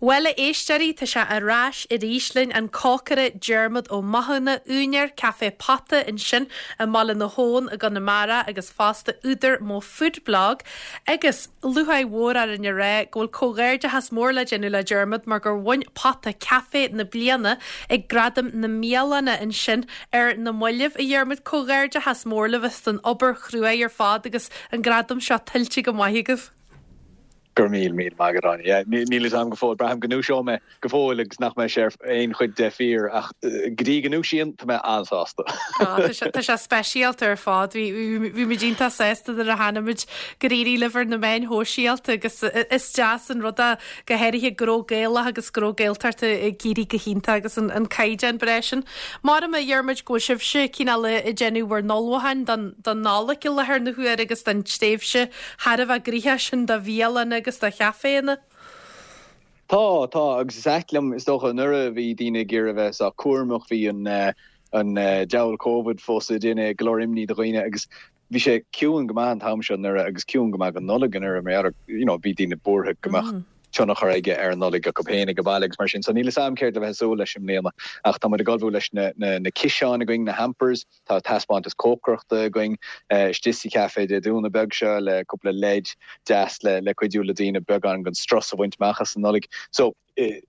Bhuel, a éisteoirí, tá sé ar ais arís linn, an cócaire Diarmuid Ó Mathúna, úinéir Café Pota ansin i mBaile na hAbhann i gConamara agus fosta údar Mo Food Blog. Agus lúcháir mhór orainn a rá go bhfuil comhghairdeachas mór le déanamh le Diarmuid mar gur bhain Pota Café na Bliana ag Gradaim na mBialanna ansin ar na mallaibh. A Dhiarmuid, comhghairdeachas mór libh as an obair chruaidh ar fad agus an gradam seo tuillte go maith agaibh. Go raibh míle, míle maith agat, Áine. Yeah, níl fhios agam go fóill. Braithim go ndúiseoidh mé go fóill agus nach mbeidh sé ar aon chuid de fíor ach go dtí go ndúisíonn, tá mé an-sásta. Tá sé, tá sé speisialta ar fad. Bhí, bhí, bhí muid iontach sásta nuair a chonaic muid gur éirigh libh ar na meáin shóisialta agus is deas an rud é go háirithe gnó Gaelach agus gnó Gaeltachta ag éirí go hiontach agus an, an caighdeán breá sin. Maram, a Dhiarmuid, go bhfuil sibhse cineál ag déanamh bhur n-ullmhúcháin don, don Nollaig i láthair na huaire agus don tréimhse thar a bheith gnoitheach sin do bhialanna agus do chaiféanna. Tá, tá, agus is ait liom, is dócha, anuraidh bhí daoine ag iarraidh a bheith sách cúramach, bhí an an diabhal Covid fós ag déanamh go leor imní do dhaoine agus bhí sé ciúin go maith an t-am seo anuraidh agus ciúin go maith don Nollaig anuraidh mar gheall ar, you know, bhí daoine buartha go mbeadh tionchar aige ar an Nollaig acu féin ag baile agus mar sin. So níl fhios a'm céard le bheith ag súil leis i mbliana ach tá muid ag ullmhú leis na na na ciseáin againn, na hampers, Tá taispeántas cócaireachta againn istigh sa chaifé Dé Domhnaigh beag seo le cúpla leid deas le cuidiú le daoine beagán den strus a bhaint amach as an Nollaig. So,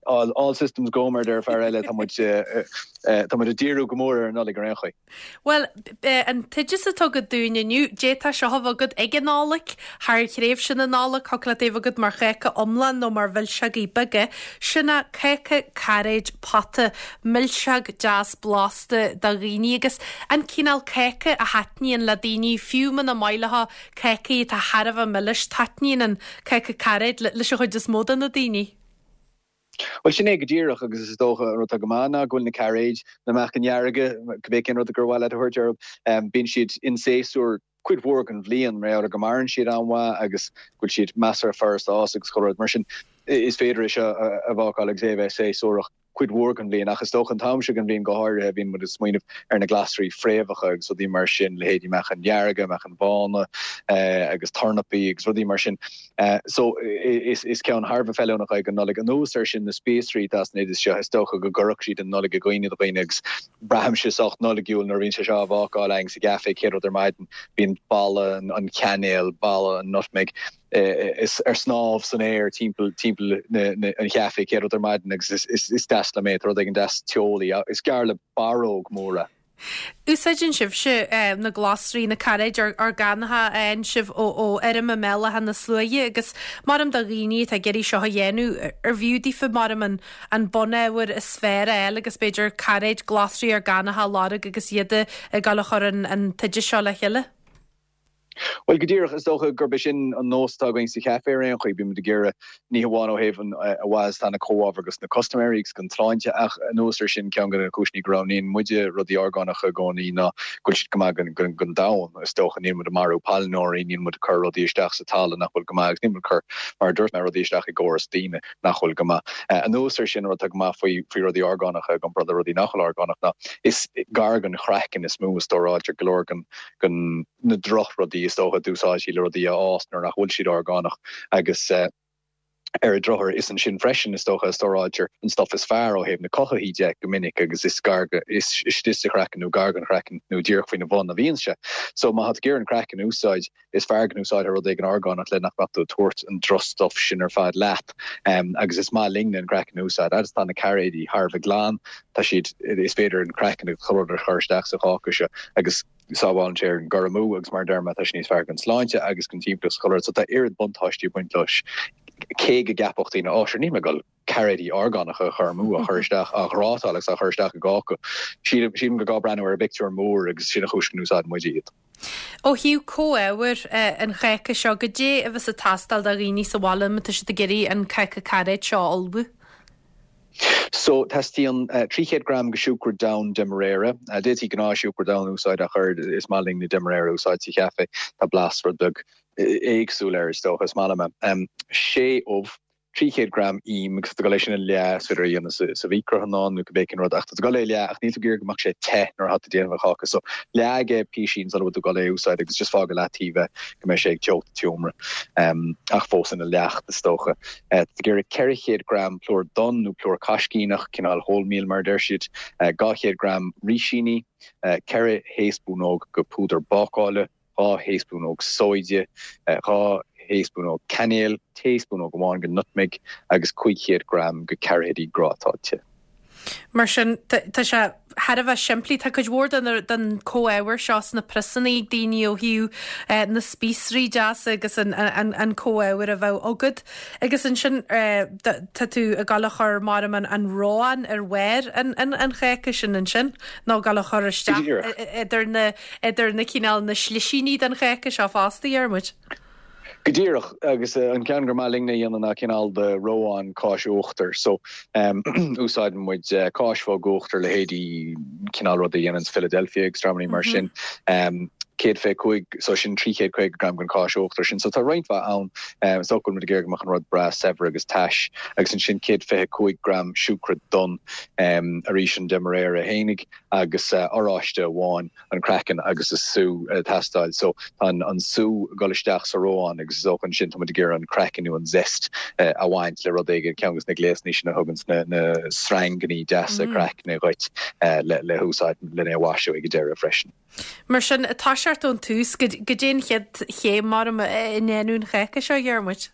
all all systems go mar a deir fear eile, tá muid tá muid ag díriú go mór ar an Nollaig ar aon chaoi. Bhuel, an t-oideas atá agat dúinn inniu, d'fhéadfadh seo a bheith agat ag an Nollaig, thar thréimhse na Nollag, thiocfadh leat é a bheith agat mar cháca iomlán nó mar mhilseogaí beaga, sin é cáca cairéid pota, milseog deas blasta do dhaoine agus an cineál cáca a thaitníonn le daoine, fiú muna maith leo cácaí atá thar a bheith milis, taitníonn an cáca cairéid leis an chuid is mó de na daoine. Bhuel, sin é go díreach agus is dócha an rud atá go maith ná go bhfuil na cairéid, na meachain dhearga, cibé cén rud gur mhaith leat a thabhairt orthu, bíonn siad in séasúr cuid mhór den bhliain mar gheall ar go maireann siad an-mhaith agus go bhfuil siad measartha furasta a fhás agus chuile rud mar sin. Is féidir é seo a bhácáil agus é a bheith séasúrach cuid mhór den bhliain ach is dócha an t-am seo den bhliain go háirithe bíonn muid ag smaoineamh ar na glasraí fréamhacha agus rudaí mar sin, leithéidí meachain dhearga, meachain bhána agus tornapaí agus rudaí mar sin. So is ceann thar a bheith feiliúnach é don Nollaig. Anuas air sin na spíosraí atá san oideas seo is dócha go gcuirfeadh siad an Nollaig i gcuimhne do dhaoine agus Braithimse sách Nollaigiúil nuair a bhíonn sé seo á bhácáil againn sa gcaifé chéad rud ar maidin. Bíonn boladh an chainéil, boladh an nutmeg ar snámh san aer timpeall timpeall an chaifé chéad rud ar maidin agus is deas liom é. Tá rud éigin deas teolaí. Is gearr le barróg mór é. Úsáideann sibhse na glasraí, na cairéid orgánacha a fhaigheann sibh ó fheirm i mBéal Átha na Sluaighe agus maram do dhaoine atá ag iarraidh seo a dhéanamh, arbh fhiú daofa maram an an bunábhar is fearr a fháil agus b'fhéidir cairéid glasraí orgánacha a lorg agus iad ag dul a chur an t-oideas seo le chéile. Bhuel, go díreach, is dócha gurb é sin an nós atá againn sa chaifé ar aon chaoi. Bíonn muid ag iarraidh, ní hamháin ó thaobh an a mhaith is atá na comhábhair dos na custaiméirí agus don tsláinte ach anuas air sin, ceann de na cúiseanna go roghnaíonn muide rudaí orgánacha i gcónaí ná go bhfuil siad go maith don domhan, is dócha. Níl muid ag marú pailneoirí, níl muid ag cur rudaí isteach sa talamh nach bhfuil go maith agus níl muid ag cur, mar a dúirt mé, rudaí isteach i gcóras daoine. nach bhfuil go maith. Anuas air sin, rud atá go maith faoi faoi rudaí orgánacha i gcomparáid le rudaí nach bhfuil orgánach ná is gar don chraiceann is mó a stóráiltear go leor den den na drochrudaí is dócha a d'úsáidtí le rudaí a fhás nuair nach bhfuil siad orgánach agus ar an drochuair is ansin freisin is dócha a stóráiltear an stuif is fearr ó thaobh na cothaithí de go minic agus is gar go is istigh sa chraiceann nó gar don chraiceann nó díreach faoina bhun a bhíonn sé. So má tá tú ag iarraidh an craiceann a úsáid Is fearr go n-úsáidfeá rud éigin orgánach le nach mbeadh tú ag tabhairt an drochstuif sin ar fad leat. Agus is maith linne an craiceann a úsáid. Fhad is atá na cairéidí thar a bheith glan, tá siad, is féidir an craiceann agus chuile rud a chur isteach sa cháca seo agus sábhálann sé ar an gcur amú agus mar a deir mé, tá sé níos fearr don tsláinte agus don timpeallacht is chuile rud. So tá oiread buntáistí ag baint leis cé go gceapfadh daoine, 'Ó, sure, níl mé ag dul cairéidí orgánacha a chur amú, á chur isteach, á ghrátáil agus á chur isteach i gcáca. Sílim, sílim gur gá breathnú ar an bpictiúr mór agus sin an chúis go n-úsáideann muide iad. Ó thaobh comhábhair an cháca seo, goidé a bheas ag teastáil do dhaoine sa bhaile má tá siad ag iarraidh an cáca cairéid seo a ullmhú? So, teastaíonn 300 gram de siúcra donn demerara. D'fhéadfaí gnáthshiúcra donn a úsáid ach oiread, is maith linn na demerara a úsáid sa chaife. Tá blas rud beag éagsúil air is dócha, is maith liom é. Sé ubh. 300 gram im agus tá tú ag dul é sin a leá, is féidir é a dhéanamh sa mhicreathonnán nó cibé cén rud ach tá tú ag dul é a leá ach níl tú ag iarraidh go mbeadh sé te nuair atá tú ag déanamh an cháca so leáigh é písín sula bhfuil tú ag dul é a úsáid agus just fág i leataobh é go mbeidh sé ag teocht an tseomra ach fós ina leacht is dócha. Tá tú ag iarraidh 400 gram plúr donn nó plúr caiscíneach, cineál wholemeal mar a deir siad, 200 gram rísíní, 4 thaespúnóg de phúdar bácála, 2 thaespúnóg sóide, 2 thaespúnóg cainéil, taespúnóg amháin de nutmeg agus 500 gram de cairéidí grátáilte. Mar sin, tá sé thar a bheith simplí. Tá cuid mhór den comhábhar seo sna priosanna ag daoine ó thaobh na spíosraí deasa agus an comhábhar a bheadh agat. Agus ansin tá tú ag dul a chur maram an reoán ar bharr an cháca sin ansin nó ag dul a chur isteach idir na idir na cineál na slisíní den cháca seo fosta, a Dhiarmuid. Go díreach, agus an ceann gur maith linne a dhéanamh ná cineál de reoán cáis uachtair. So, úsáideann muid cáis bhog uachtair, leithéidí cineál rud a dhéananns Philadelphia agus dreamannaí mar sin. 125, so sin 350 gram den cháis uachtair sin. So tá roinnt mhaith ann. Is dócha go bhfuil muid ag iarraidh go mbeadh an rud breá saibhir agus tais. Agus ansin 125 gram siúcra donn, arís an Demerara fhéinig agus oráiste amháin. an craiceann agus an sú ag teastáil. So tá an sú ag dul isteach sa reoán agus is dócha ansin tá muid ag iarraidh an craiceann nó an zest a bhaint le rud éigin, ceann de na gléasanna sin a thuganns na sreangannaí deasa craicne dhuit le húsáid lena mhaisiú ag an deireadh freisin. Mar sin, ag toiseacht ón tús, goidé an chéad chéim mar i ndéanamh an cháca seo, a Dhiarmuid?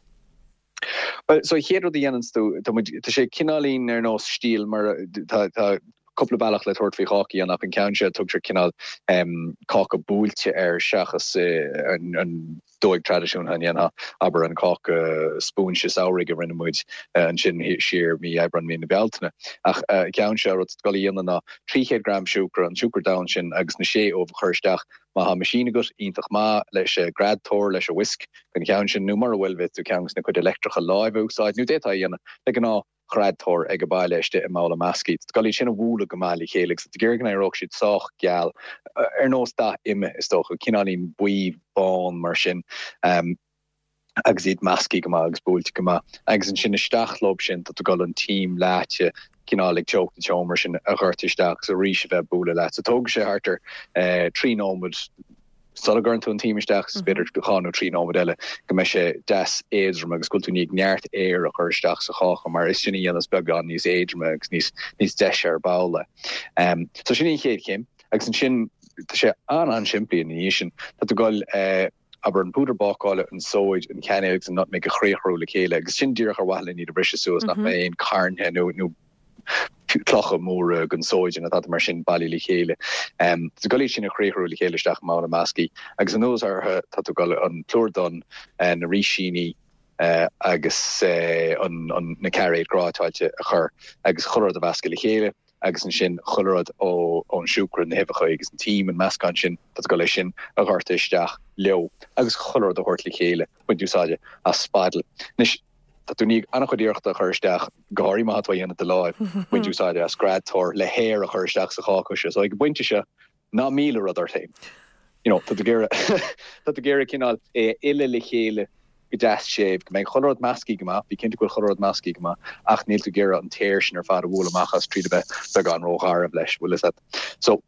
Bhuel, so an chéad rud a dhéananns tú, tá muid, tá sé cineáilín ar nós stíl mar tá, tá cúpla bealach le tabhairt faoi cháca a dhéanamh ach an ceann seo tugtar cineál em cáca buailte air seachas an, an dóigh traidisiúnta a ndéanfá, abair an cáca spúinse samhraidh a rinne muid ansin siar mí Aibreáin, mí na Bealtaine. Ach an ceann seo, rud atá tú ag dul a dhéanamh ná 300 gram siúcra, an siúcra donn sin agus na sé ubh a chur isteach Má thá meaisín agat, iontach maith, leis a' greadtóir, leis a' whisk, don cheann sin, nó mura bhfuil, bhféadfadh tú ceann de na cuid leictreacha láimhe a úsáid, nó d'fhéadfá é a dhéanamh le gnáth-ghreadtóir ag a' baile istigh i mbabhla measctha. Tá tú ag dul iad sin a bhualadh go maith le chéile agus tá tú ag iarraidh go n-éireodh siad sách geal, ar nós dath ime, is dócha, cineáilín buí bán mar sin. agus iad measctha go maith agus buailte go maith. Agus ansin isteach leob sin tá tú ag dul an t-im leáite, cineál ag teocht an tseomra sin a dhoirteadh isteach agus arís a bheith ag bualadh leat. So tógfaidh sé thart ar 3 nóiméad sula gcuireann tú an t-im isteach agus b'fhéidir 2 nó 3 nóiméad eile go mbeidh sé deas éadrom agus go bhfuil tú i ndiaidh neart aeir a chur isteach sa cháca mar is sin a dhéanas beagán níos éadroime agus níos níos deise ar ball é. So sin í an chéad chéim agus ansin tá sé an-an-simplí ina dhiaidh sin. Tá tú ag dul abair, an púdar bácála, an tsóid, an chainéal agus an nutmeg a chriathrú le chéile agus sin díreach ar mhaithe le iad a bhriseadh suas, nach mbeidh aon cairnthe nó nó clocha móra den sóid nó tada mar sin bailithe le chéile. Tá tú ag dul iad sin a chriathrú le chéile isteach i mbabhla measctha agus anuas orthu tá tú ag dul an plúr donn, na rísíní agus an na cairéid grátáilte a chur agus chuile rud a mheascadh le chéile. agus ansin chuile rud ón siúcra, na huibheacha agus an t-im, an meascán sin, tá tú ag dul é sin a dhoirteadh isteach leo agus chuile rud a thabhairt le chéile, baint úsáide as spaidil. Anois, tá tú i ndiaidh an-chuid iarrachta a chur isteach, go háirithe má tá tú á dhéanamh de láimh, baint úsáide as greadtóir le haer a chur isteach sa cháca seo. So ag an bpointe seo, ná míl an rud ort féin. You know, tá tú ag iarraidh, tá tú ag iarraidh cineál é a fhilleadh le chéile go deas séimh, go mbeidh chuile rud measctha go maith, bí cinnte go bhfuil chuile rud measctha go maith, ach níl tú ag iarraidh an t-aer sin ar fad a bhualadh amach as tríd a bheith beagán rógharbh leis, bhfuil fhios a't. So,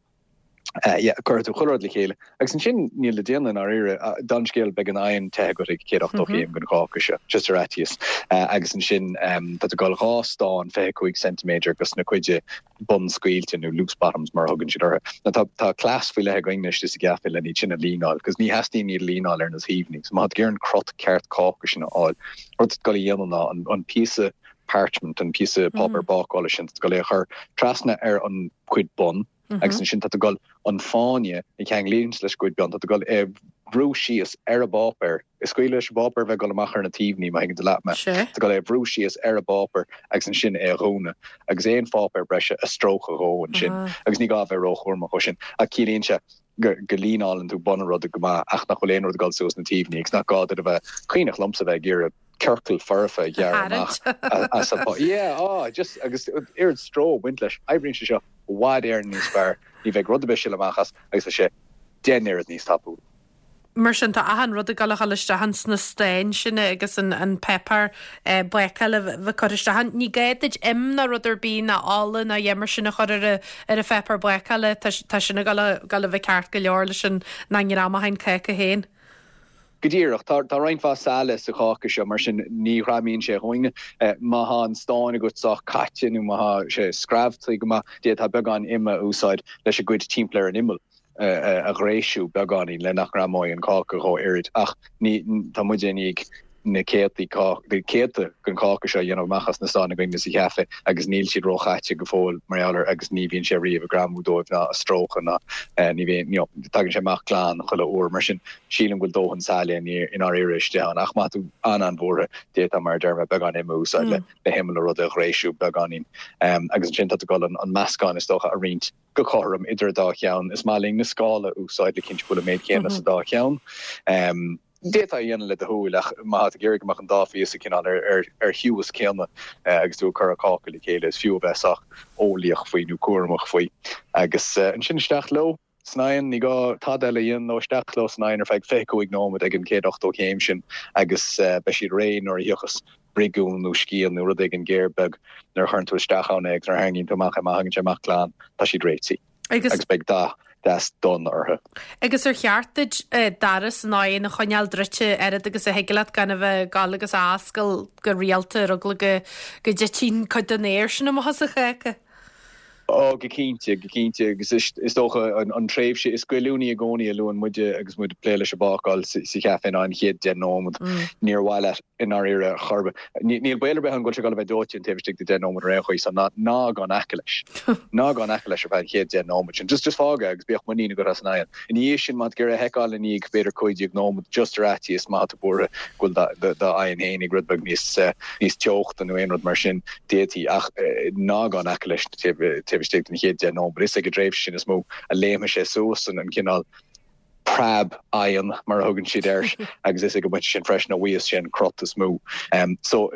eh, yeah, cuirfidh tú chuile rud le chéile. Agus ansin níl le déanamh i ndáiríre, don scéal beidh an oigheann te agat ag 180 céim don cháca seo, just ar fhaitíos. Agus ansin tá tú ag dul dhá stán 25 ceintiméadar dos na cuid bun scaoilte nó loose bottoms mar a thugann siad orthu. Now tá tá cleas faoi leith againn istigh sa gcaife len iad sin a líneáil cos ní theastaíonn iad a líneáil ar na taobhanna. So má tá tú ag iarraidh an crot ceart cáca sin a fháil, rud atá tú ag dul a dhéanamh ná an an píosa parchment, an píosa páipéar bácála sin, tá tú ag dul é a chur trasna ar an chuid bun agus ansin tá tú ag dul an fáinne a cheanglaíonn leis an gcuid bun, tá tú ag dul é a bhrú síos ar an bpáipéar Is scaoileadh leis an bpáipéar bheith ag dul amach ar na taobhanna, má thuigeann tú leat mé. Tá tú ag dul é a bhrú síos ar an bpáipéar agus ansin é a dhúnadh. Agus aon pháipéar breise a stróiceadh dhó ansin. Agus ní gá a bheith róchúramach dhó sin. Ach ciallaíonn sé go go líneálann tú bun an ruda go maith ach nach bhfuil aon rud ag dul suas na taobhanna agus nach gá duit a bheith cuimhneach liomsa bheith ag iarraidh ciorcal foirfe a ghearradh amach as an pá. Yeah, ah, just agus oiread stró ag baint leis. Oibríonn sé seo i bhfad Éireann níos fearr. Ní bheidh rud ar bith ag sileadh amach as agus tá sé deich n-oiread níos tapúla. Mar sin, tá achan rud ag dul a dhul isteach ins na stáin sin agus an an páipéar bácála a bheith curtha isteach ann. Ní gá duit im ná rud ar bith ná ola ná a dhath mar sin a chur ar a ar an pháipéar bácála, tá tá sin ag dul a dul a bheith ceart go leor leis an na ngreamacháin cáca féin. Go díreach. Tá tá roinnt mhaith saille sa cháca seo, mar sin ní ghreamaíonn sé dhúinne. Má thá an stán agat sách caite nó má thá sé screamhtaí go maith, d'fhéadfá beagán ime a úsáid leis an gcuid timpeall ar an imeall. a ghréisiú beagáinín le nach ngreamóidh an cáca dhó oiread ach ní tá muide i ndiaidh na céadtaí na céadta den cháca seo a dhéanamh amach as na stáin againne sa chaife agus níl siad róchaite go fóill mar gheall air agus ní bhíonn sé riamh ag greamú dóibh ná ag stróiceadh ná ní bhíonn you know tagann sé amach glan chuile uair mar sin sílim go bhfuil dóthain saille i ndáiríre istigh ann ach má tá tú an-an-bhuartha d'fhéadfá mar a deir mé beagán ime a úsáid le le himeall an ruda a ghréisiú beagáinín agus ansin tá tú ag dul an meascán is dócha a roinnt go cothrom idir an dá cheann. Is maith linn na scála a úsáid le cinntiú go bhfuil an méid céanna sa dá cheann. D'fhéadfá é a dhéanamh le do shúil ach má tá tú ag iarraidh go mbeadh an dá phíosa cineál ar ar chiumhais céanna agus tú ag cur an cáca le chéile, is fiú a bheith sách eolaíoch faoi nó cúramach faoi. Agus ansin isteach leo san oigheann, ní gá tada eile a dhéanamh leo, isteach leo san oigheann ar feadh 25 nóiméad ag an 180 céim sin agus beidh siad réidh nuair a thiocfas briogiún nó scian nó rud éigin géar beag nuair a chuireann tú isteach ann é agus nuair a tharraingíonn tú amach é, má thagann sé amach glan, tá siad réitithe Agus. Agus beidh dath deas donn orthu. Agus ar cheart duit doras an oighinn a choinneáil druidte oiread agus a thig leat gan a bheith ag gabháil agus á oscailt go rialta ar eagla go go dtitfidh cuid den aer sin amach as an cháca? Ó, go cinnte, go cinnte. Agus is dócha an tréimhse is goilliúnaí i gcónaí a luann muide agus muid ag plé leis an bhácáil sa chaife ná an chéad deich nóiméad. Níor mhaith leat i ndáiríre chor ar bith. Níl baol ar bith ann go bhfuil sé ag dul a bheith dóite an taobh istigh de deich nóiméad ar aon chaoi, so ná ná gabh in aice leis. Ná gabh in aice leis ar feadh an chéad deich nóiméad sin. Just just fág é agus bíodh muinín agat as an oigheann. Ina dhiaidh sin, má tá tú ag iarraidh a sheiceáil i ndiaidh b'fhéidir 15 nóiméad, just ar fhaitíos, má tá tú buartha go bhfuil d'oigheann fhéinig rud beag níos níos teochta nó aon rud mar sin, d'fhéadfaí, ach ná gabh in aice leis taobh istigh den chéad deich nóiméad. Is ag an dtréimhse sin is mó a léimfidh sé suas an cineál preab oighinn, mar a thugann siad air, agus is ag an bpointe sin freisin a bhfaigheas sé an crot is mó. So,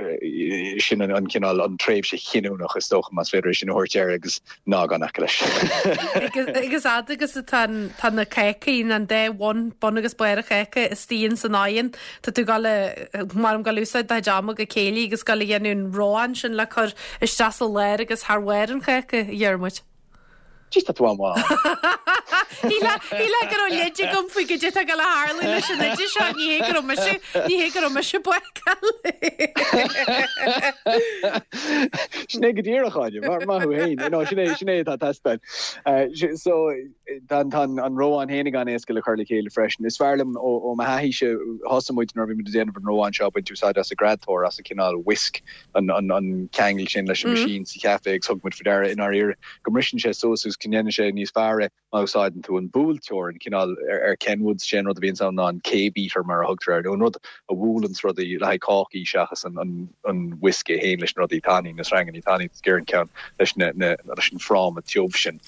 sin an cineál, an tréimhse chinniúnach, is dócha, más féidir é sin a thabhairt air, agus ná gabh in aice leis. Agus fhad agus atá tá na cácaí, an dá bhun, bun agus barr an cháca istigh ins an oigheann, Tá tú ag dul a, maram ag dul úsáid do chuid ama go céillí agus ag dul a dhéanamh an reoán sin le cur isteach sa lár agus thar bharr an cháca, a Dhiarmuid. Jeez, tá tú an-mhaith. Shílfeá go raibh leid agam faoi goidé atá ag dul a tharlú leis an oide seo, ní hé go raibh mise, ní hé go raibh mise ag bácáil. Sin é go díreach, Áine, maith thú féin. No, sin é, sin é atá ag teastáil. So, Tá an reoán fhéinig an-éasca le cur le chéile freisin. Is fearr liom ó mo thaithíse, thosaigh muid nuair a bhí muid ag déanamh an reoáin seo ag baint úsáid as an greadtóir, as an cineál whisk, an ceangal sin leis an machine sa chaife agus thug muid faoi deara i ndáiríre go mbriseann sé suas agus go ndéanann sé níos fearr é má úsáideann tú an buailteoir, an cineál ar Kenwoods, sé an rud a bhíonns ann ná an K-beater mar a thugtar air, nó an rud a bhuaileanns rudaí le haghaidh cácaí seachas an whisk é féin leis na rudaí tanaí, na sreangannaí tanaí, is gearr an ceann leis an fráma tiubh sin.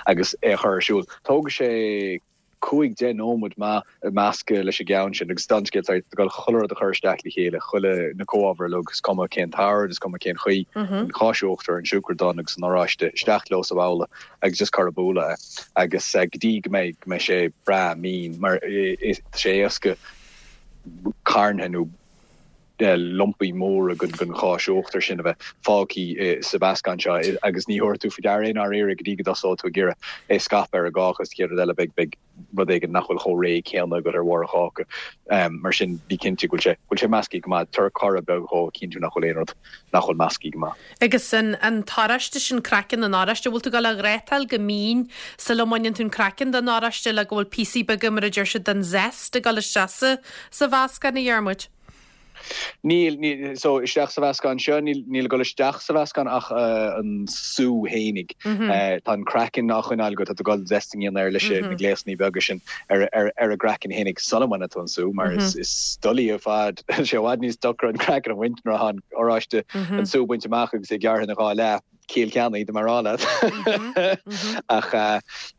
agus é a chur ar siúl. Tógfaidh sé 5, 10 nóiméad maith meascadh leis an gceann sin agus don scéal tá tú ag dul chuile rud a chur isteach le chéile, chuile na comhábhair uilig, is cuma cén t-ord, is cuma cén chaoi, an cháis uachtair, an siúcra donn agus an oráiste, isteach leo sa bhabhla agus just cur ag bualadh é agus go dtí go mbeidh, go mbeidh sé breá mín mar tá sé éasca carntha nó lumpaí móra den cháis uachtair sin a bheith fágtha sa mheascán seo agus ní thabharfaidh tú faoi deara é i ndáiríre go dtí go dtosóidh tú ag iarraidh é a scaipeadh ar an gcáca agus an chéad rud eile beidh beidh rud éigin nach bhfuil chomh réidh céanna agat ar bharr an cháca. Mar sin bí cinnte go bhfuil sé go bhfuil sé measctha go maith. Tabhair corradh beag dhó a chinntiú nach bhfuil aon rud nach bhfuil measctha go maith. Agus an an t-oráiste sin, craiceann an oráiste, bhfuil tú ag dul a ghrátáil go mín sula mbaineann tú an craiceann den oráiste le go bhfuil píosaí beaga mar a deir siad den zest ag dul isteach sa sa mheascán a Dhiarmuid? Níl, níl, so isteach sa mheascán seo, níl, níl ag dul isteach sa mheascán ach an sú fhéinig. Tá an craiceann á choinneáil agat, tá tú ag dul zesting a dhéanamh air leis na gléasannaí beaga sin ar, ar, ar an gcraiceann fhéinig sula mbaineann tú an sú, mar is, is doiligh ar fad, tá sé i bhfad níos deacra an craiceann a bhaint nuair atá an oráiste, an sú bainte amach agus é gearrtha ina dhá leath. Ciall ceannaigh, dá mba rá leat. Ach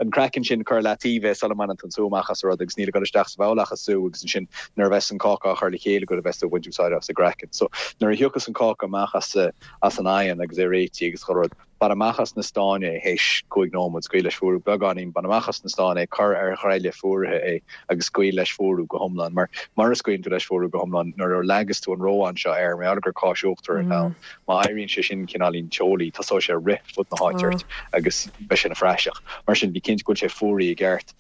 an craiceann sin, cuir i leataobh é sula mbaineann tú an sú amach as an rud agus níl ag dul isteach sa bhabhla ach an sú agus ansin nuair a bheas an cáca á chur le chéile agat a bheas tú ag baint úsáid as an gcraiceann. So nuair a thiocfas an cáca amach as as an oigheann agus é réitithe agus chuile rud, Bain amach as na stáin é théis 5 nóiméad, scaoil leis fuarú beagáinín, bain amach as na stáin é, cuir ar ghreille fuaraithe é agus scaoil leis fuarú go hiomlán. Mar mura scaoileann tú leis fuarú go hiomlán, nuair a leagas tú an reoán seo air, mar gheall gur cáis uachtair atá ann, má éiríonn sé sin cineáilín teolaí, tosóidh sé ag rith fud na háite ort agus beidh sé ina phraiseach. Mar sin, bí cinnte go bhfuil sé fuaraithe i gceart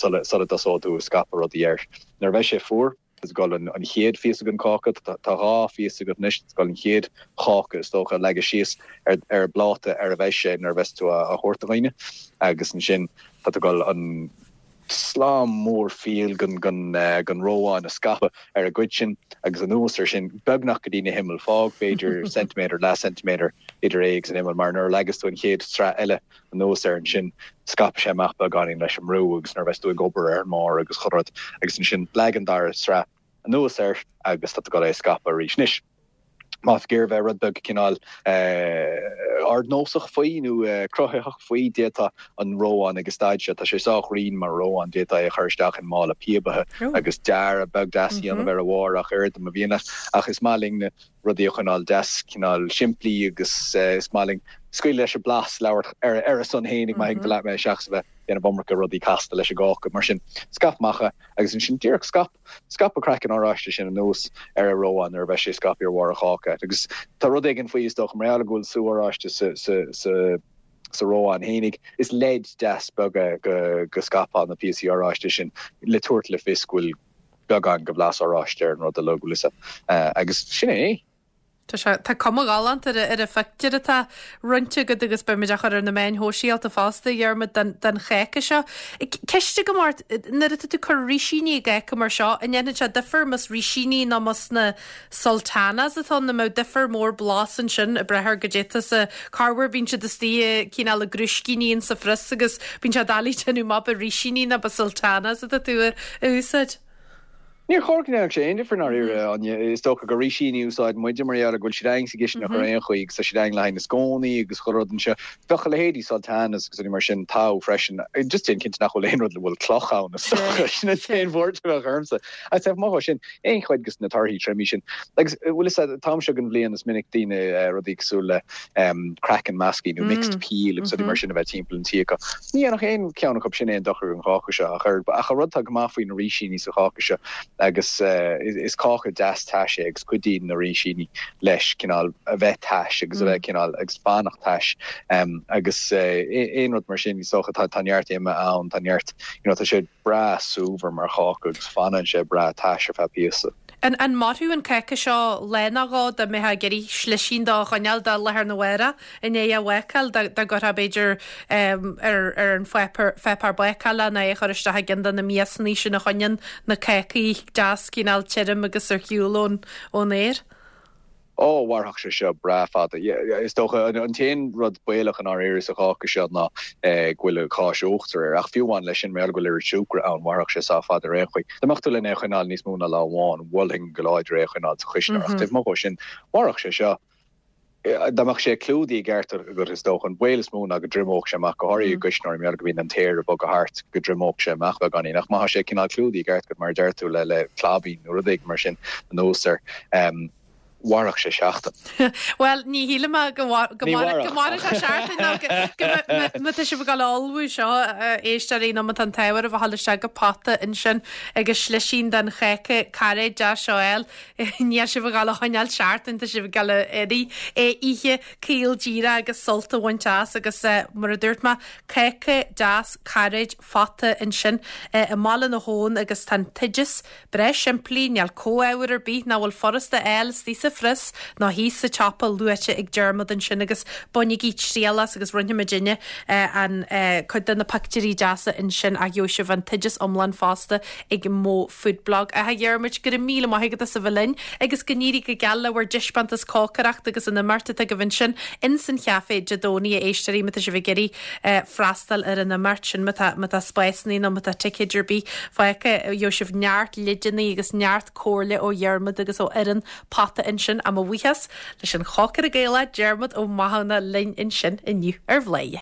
sula dtosóidh tú ag scaipeadh rudaí air. Nuair a bheidh sé fuar. Tá tú ag dul an chéad phíosa den cháca, tá 2 phíosa agat anois, tá tú ag dul an chéad cháca is dócha a leagadh síos ar an bpláta ar a bheidh sé nuair a bheas tú á thabhairt do dhaoine agus ansin tá tú ag dul an slám mór fial den reoán a scaipeadh ar an gcuid sin agus anuas ar sin beagnach go dtí na himill, fág b'fhéidir ceintiméadar, leath ceintiméadar idir é agus an imeall mar nuair a leagas tú an chéad sraith eile anuas air ansin, scaipfidh sé amach beagáinín leis an mbrú agus nuair a bheas tú ag obair ar an mbarr agus chuile rud agus ansin leag an dara sraith anuas air agus tá tú ag dul é a scaipeadh arís. Anois, má tá tú ag iarraidh bheith rud beag cineál ardnósach faoi nó cruthaitheach faoi, d'fhéadfá an reoán ag an staid seo, tá sé sách righin mar reoán, d'fhéadfá é a chur isteach i mála píobaithe agus dearadh beag deas a dhéanamh ar a bharr ach oiread má mhian leat. Ach is maith linn rudaí a choinneáil deas cineál simplí agus is maith linn scaoileadh leis an blas labhairt ar a son fhéinig má thuigeann tú leat mé seachas a bheith ag déanamh iomarca rudaí casta leis an gcáca. Mar sin, scaip amach é agus ansin díreach scaip, scaip an craiceann oráiste sin anuas ar an reoán nuair a bheidh sé scaipthe ar bharr an cháca. Agus tá rud éigin faoi is dócha mar gheall go bhfuil sú oráiste sa, sa, sa, sa reoán fhéinig, is leid deas beag é go, go scaipfeá na píosaí oráiste sin le tabhairt le fios go bhfuil beagán de bhlas oráiste ar an rud uilig, bhfuil fhios a'd. Agus sin é. Tá sé, tá cuma ghalánta ar ar an phictiúr atá roinnte agat agus beimid á chur ar na meáin shóisialta fosta, a Dhiarmaid, den, den cháca seo. Ceist agam ort, nuair atá tú ag cur rísíní i gcáca mar seo, an ndéanann sé difear más rísíní nó más na sultanas atá ann, an mbeadh difear mór blas ansin ag brath ar goidé atá sa, corruair bíonn siad istigh i cineál i gcrúiscíní in sa phrios agus bíonn sé doiligh déanamh amach ab rísíní nó ab sultanas atá tú a úsáid. Níor chóir go ndéanfadh sé aon difear i ndáiríre, Áine. Is dócha gur rísíní a úsáideann muide mar gheall ar go bhfuil siad againn sa gcistineach ar aon chaoi agus tá siad againn le haghaidh na scónaí agus chuile rud anseo. Bheadh a leithéidí sultanas agus rudaí mar sin togha freisin. Just déan cinnte nach bhfuil aon rud le bhfuil cloch ann is dócha. Sin an t-aon bhuairt a bheadh ormsa. Ach taobh amuigh dhó sin, aon chuid de na torthaí triomaithe sin. Agus bhfuil fhios a'd, an t-am seo den bhliain is minic daoine rudaí cosúil le craiceann measctha nó mixed peel agus rudaí mar sin a bheith timpeall an tí acu. Ní dhéanfadh aon cheann acu sin aon dochar don cháca seo ach oiread. Ach an rud atá go maith faoi na rísíní sa cháca seo agus is cáca deas tais é agus cuidíonn na rísíní leis cineál a bheith tais agus a bheith cineál agus fanacht tais agus aon rud mar sin is dócha tá neart ime ann, tá neart you know tá sé breá súmhar mar cháca agus fanann sé breá tais ar feadh píosa. An an mairfeadh an cáca seo lá nó dhó dá mbeifeá ag iarraidh slisín dó a choinneáil do lá arna mhárach i ndiaidh a bhácáil, dá dá gcuirfeá b'fhéidir ar ar an pháipéar pháipéar bácála nó é a chur isteach i gceann de na miasannaí sin a choinníonn na cácaí deas cineál tirim agus ar shiúl ón ón aer? Ó, mhairfeadh sé seo breá fada. Is dócha, an t-aon rud baolach i ndáiríre sa cháca seo ná go bhfuil an cháis uachtair air. Ach fiú amháin leis sin, mar gheall go bhfuil oiread siúcra ann, mhairfeadh sé sách fada ar aon chaoi. Dá mbeadh tú len é a choinneáil níos mó ná lá amháin, mholfainn go láidir é a choinneáil sa chuisneoir. Ach taobh amuigh dhó sin, mhairfeadh sé seo. Dá mbeadh sé clúdaithe i gceart agat, is dócha, an baol is mó ná go dtriomódh sé amach, go háirithe i gcuisneoir, mar gheall go mbíonn an t-aer ag bogadh thart, go dtriomódh sé amach beagáinín. Ach má tá sé cineál clúdaithe i gceart agat, mar a deir tú, le claibín nó rud éigin mar sin anuas air, mhairfeadh sé seachtain. Bhuel, ní shílim go mairfeadh sé seachtain nó go má tá sibh ag dul a ullmhú seo, a éisteoirí, nó má tá an t-ádh oraibh a dhul isteach go Pota ansin agus slisín den cháca cairéid deas seo a fháil, níl sibh ag dul a choinneáil seachtain, tá sibh ag dul a iarraidh é a ithe caol díreach agus sult a bhaint as agus mar a dúirt mé, cáca deas cairéid phota ansin i mBaile na hAbhann agus tá an t-oideas Breá simplí, níl comhábhar ar bith nach bhfuil furasta a fháil istigh sa phrios nó thíos sa tsiopa luaite ag Diarmuid ansin agus bainigí triail as agus roinnfidh muidinne an cuid de na pictiúirí deasa ansin ach gheobhaidh sibh an t-oideas iomlán fosta ag Mo Food Blog. A Dhiarmuid, go raibh míle maith agat as a bheith linn agus go n-éirí go geal le bhur dtaispeántas cócaireachta agus an imeacht atá agaibh ansin ins an chaife Dé Domhnaigh a éisteoirí má tá sibh ag iarraidh freastal ar an imeacht sin má tá má tá spásanna nó má tá ticéid ar bith fágtha gheobhaidh sibh neart leideanna agus neart comhairle ó Dhiarmuid agus ó fhoireann Pota ansin. Á mo bhuíochas leis an chócaire Gaelach Diarmuid Ó Mathúna linn ansin inniu ar Bhladhaire.